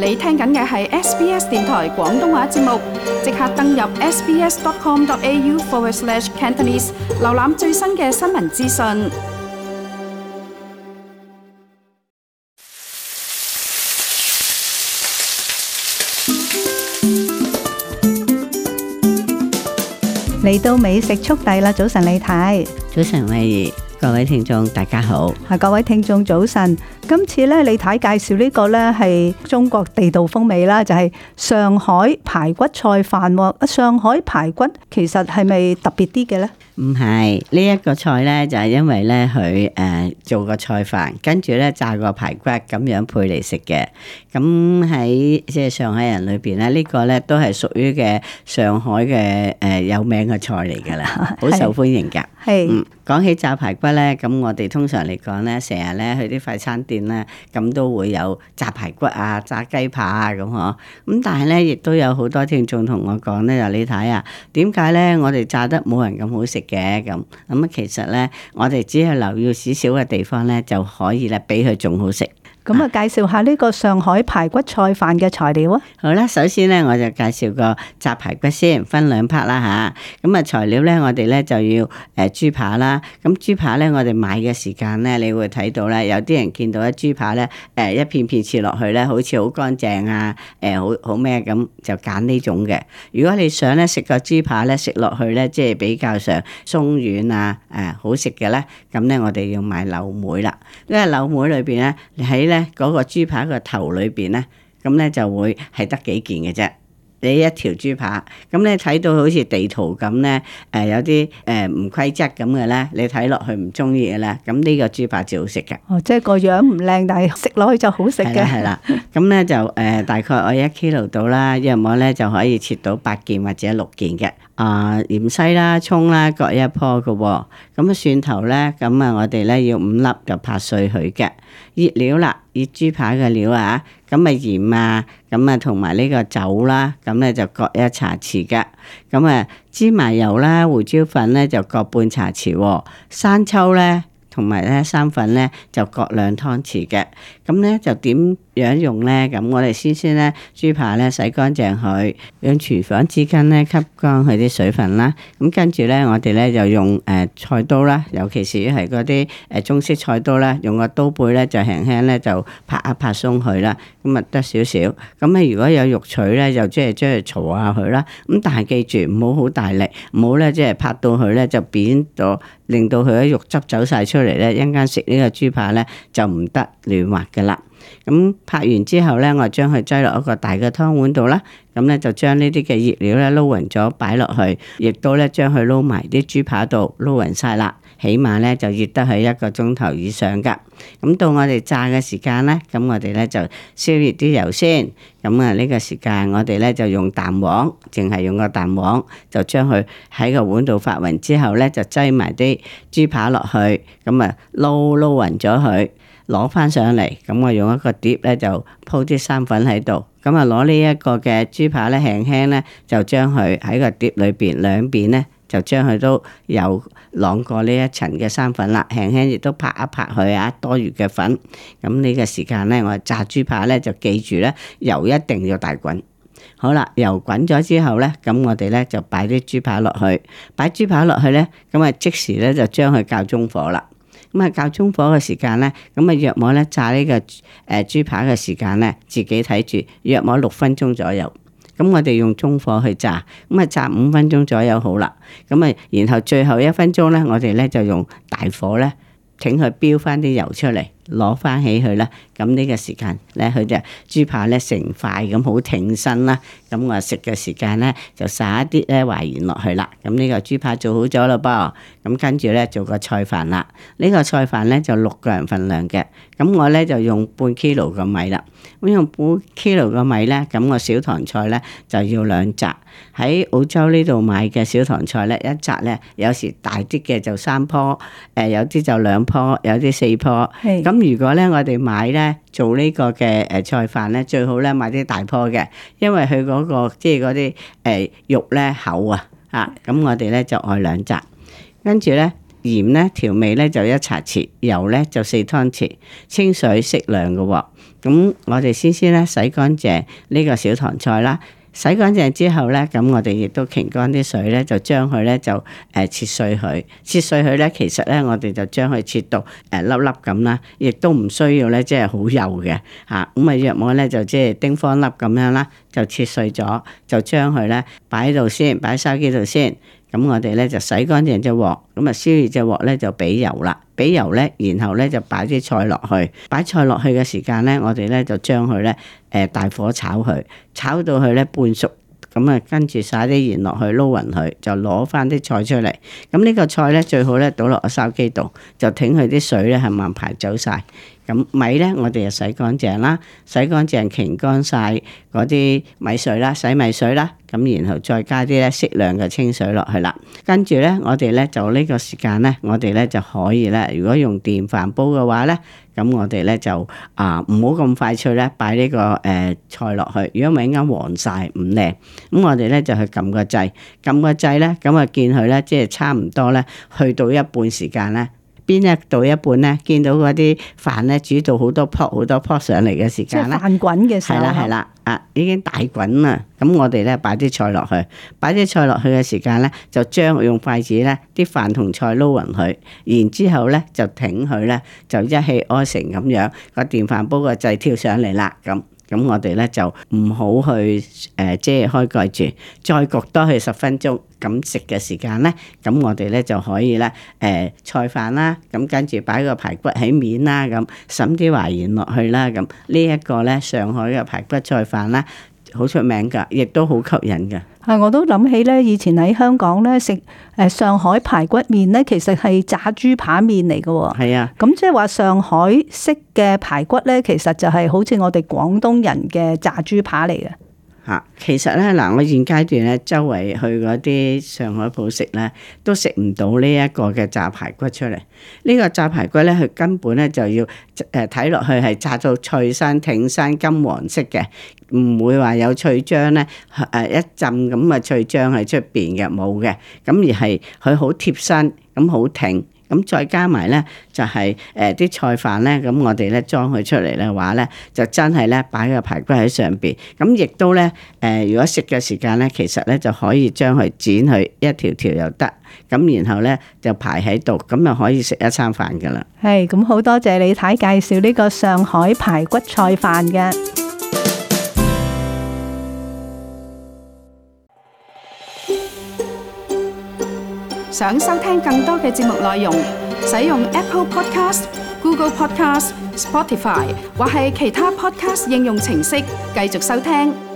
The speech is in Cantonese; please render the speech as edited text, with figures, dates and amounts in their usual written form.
你聽緊嘅係 SBS 電台廣東話節目，即刻登入 sbs.com.au/cantonese 瀏覽最新嘅新聞資訊。嚟到美食速遞啦！早晨李太，早晨慧怡，各位聽眾大家好。各位聽眾早晨。今次咧，李太介紹呢個咧係中國地道風味啦，就係上海排骨菜飯。上海排骨其實係咪特別啲嘅咧？唔係，呢一個菜咧就係因為咧佢做個菜飯，跟住咧炸個排骨咁樣配嚟食嘅。咁喺即係上海人裏邊咧，呢個咧都係屬於嘅上海嘅有名嘅菜嚟㗎啦，好受歡迎㗎。係。講起炸排骨咧，咁我哋通常嚟講咧，成日咧去啲快餐店咧，咁都會有炸排骨啊、炸雞扒啊咁嗬。咁但係咧，亦都有好多聽眾同我講咧，就你睇啊，點解咧我哋炸得冇人咁好食嘅咁？咁啊，其實咧，我哋只係留意少少嘅地方咧，就可以咧，比佢仲好食。咁啊，介紹下呢個上海排骨菜飯嘅材料啊。好啦，首先咧我就介紹個炸排骨先，分兩 part 啦吓。咁啊材料咧，我哋咧就要豬扒啦。咁豬扒咧，我哋買嘅時間咧，你會睇到咧，有啲人見到一豬扒咧，一片片切落去咧，好似好乾淨啊，好咩咁，就揀呢種嘅。如果你想咧食個豬扒咧，食落去咧，即係比較上鬆軟啊，好食嘅咧，咁咧我哋要買柳梅啦。因為柳梅裏邊咧，喺咧嗰個豬扒個頭裏邊咧，咁咧就會係得幾件嘅啫。你一條豬扒，咁你睇到好似地圖咁咧，有啲唔規則咁嘅咧，你睇落去唔中意嘅咧，咁呢個豬扒最好食嘅。哦，即係個樣唔靚，但係食落去就好食嘅。係啦，咁咧就大概我1 kilo 到啦，約莫咧就可以切到8件或者6件嘅。芫茜啦、葱啦各一棵嘅喎。咁啊蒜頭咧，咁啊我哋咧要5粒就拍碎佢嘅。熱料啦，熱豬扒嘅料啊，咁啊鹽啊，咁啊同埋呢個酒啦，咁咧就各1茶匙嘅。咁啊芝麻油啦、胡椒粉咧就各半茶匙喎。生抽咧同埋咧生粉咧就各2湯匙嘅。咁咧就點樣用咧？咁我哋先咧豬扒咧洗乾淨佢，用廚房紙巾咧吸乾佢啲水分啦。咁跟住咧我哋咧就用菜刀啦，尤其是係嗰啲中式菜刀啦，用個刀背咧就輕輕咧就拍一拍鬆佢啦。咁啊得少少。咁咧如果有肉錘咧，就即係將佢嘈下佢啦。咁但係記住唔好好大力，唔好咧即係拍到佢咧就扁咗，令到佢啲肉汁走晒出嚟咧，一陣間食呢個豬扒咧就唔得嫩滑㗎啦。咁拍完之後咧，我將佢擠落一個大嘅湯碗度啦。咁咧就將呢啲嘅熱料咧撈勻咗擺落去，亦都咧將佢撈埋啲豬扒度撈勻晒啦。起碼咧就熱得係1個鐘頭以上噶。咁到我哋炸嘅時間咧，咁我哋咧就燒熱啲油先。咁啊呢個時間我哋咧就用蛋黃，淨係用個蛋黃，就將佢喺個碗度發勻之後咧，就擠埋啲豬扒落去，咁啊撈勻咗佢。攞翻上嚟，咁我用一個碟咧就鋪啲生粉喺度，咁啊攞呢一個嘅豬扒咧輕輕咧就將佢喺個碟裏邊兩邊咧就將佢都有晾過呢一層嘅生粉啦，輕輕亦都拍一拍佢啊多餘嘅粉。咁呢個時間咧我炸豬扒咧就記住咧油一定要大滾。好啦，油滾咗之後咧，咁我哋咧就擺啲豬扒落去，擺豬扒落去咧，咁啊即時咧就將佢較中火啦。咁啊，較中火嘅時間咧，咁啊約莫咧炸呢個豬扒嘅時間咧，自己睇住約莫6分鐘左右。咁我哋用中火去炸，咁啊炸5分鐘左右好啦。咁啊，然後最後1分鐘咧，我哋咧就用大火咧，請佢飆翻啲油出嚟。攞翻起佢啦，咁呢個時間咧，佢就豬扒咧成塊咁好挺身啦。咁我食嘅時間咧就撒一啲咧淮鹽落去啦。咁呢個豬扒做好咗啦噃。咁跟住咧做個菜飯啦。呢個菜飯咧就6個人份量嘅。咁我咧就用半 kilo 嘅米啦。咁用半 kilo 嘅米咧，咁我小棠菜咧就要2紮。喺澳洲呢度買嘅小棠菜咧，一紮咧有時大啲嘅就3棵，有啲就2棵，有啲4棵。咁如果咧我哋買咧做呢個嘅菜飯咧，最好咧買啲大棵嘅，因為佢嗰個即係嗰啲肉咧厚啊，咁我哋咧就愛2紮，跟住咧鹽咧調味咧就1茶匙，油咧就4湯匙，清水適量嘅喎。咁我哋先咧洗乾淨呢個小棠菜啦。洗乾淨之後咧，咁我哋亦都擎乾啲水咧，就將佢咧就切碎佢。切碎佢咧，其實咧我哋就將佢切到粒粒咁啦，亦都唔需要咧即係好幼嘅嚇。咁啊約莫咧就即係丁方粒咁樣啦，就切碎咗，就將佢咧擺喺度先，擺喺筲箕度先。咁我哋咧就洗乾淨隻鑊，咁啊燒熱隻鑊咧就俾油啦，俾油咧，然後咧就擺啲菜落去，擺菜落去嘅時間咧，我哋咧就將佢咧大火炒佢，炒到佢咧半熟，咁啊跟住撒啲鹽落去撈勻佢，就攞翻啲菜出嚟。咁呢個菜咧最好咧倒落個筲箕度，就挺佢啲水咧係慢排走晒。咁米咧，我哋就洗乾淨啦，洗乾淨擎乾晒嗰啲米水啦，洗米水啦，咁然後再加啲咧適量嘅清水落去啦。跟住咧，我哋咧就呢個時間咧，我哋咧就可以咧，如果用電飯煲嘅話咧，咁我哋咧就唔好咁快脆咧，擺呢個菜落去，如果唔係啱黃晒唔靚。咁我哋咧就去撳個掣，撳個掣咧，咁啊見佢咧即係差唔多咧，去到一半時間咧。邊一到一半咧，見到嗰啲飯咧煮到好多泡上嚟嘅時間咧，飯滾嘅時候，係啦，已經大滾啦。咁我哋咧擺啲菜落去，擺啲菜落去嘅時間咧，就將用筷子咧啲飯同菜撈勻佢，然之後咧就挺佢咧，就一氣呵成咁樣，個電飯煲個掣跳上嚟啦咁。咁我哋咧就唔好去即係開蓋住，再焗多佢10分鐘。咁食嘅時間咧，咁我哋咧就可以咧菜飯啦，咁跟住擺個排骨喺面啦，咁滲啲淮鹽落去啦，咁呢一個咧上海嘅排骨菜飯啦，好出名㗎，亦都好吸引㗎。我都諗起咧，以前喺香港咧食上海排骨麵咧，其實係炸豬扒麵嚟嘅喎。係啊，咁即係話上海式嘅排骨咧，其實就係好似我哋廣東人嘅炸豬扒嚟嘅。其實咧嗱，我現階段咧周圍去嗰啲上海鋪食咧，都食唔到呢一個嘅炸排骨出嚟。呢個炸排骨咧，佢根本咧就要睇落去係炸到脆身挺身金黃色嘅，唔會話有脆漿咧一浸咁嘅脆漿喺出邊嘅，冇嘅。咁而係佢好貼身，咁好挺。咁再加埋咧，就係啲菜飯咧，咁我哋咧裝佢出嚟嘅話咧，就真係咧擺個排骨喺上邊。咁亦都咧如果食嘅時間咧，其實咧就可以將佢剪佢一條條又得。咁然後咧就排喺度，咁就可以食一餐飯噶啦。係，咁好多謝李太介紹呢個上海排骨菜飯嘅。想收聽更多嘅節目內容，使用 Apple Podcast、Google Podcast、Spotify 或係其他 Podcast 應用程式繼續收聽。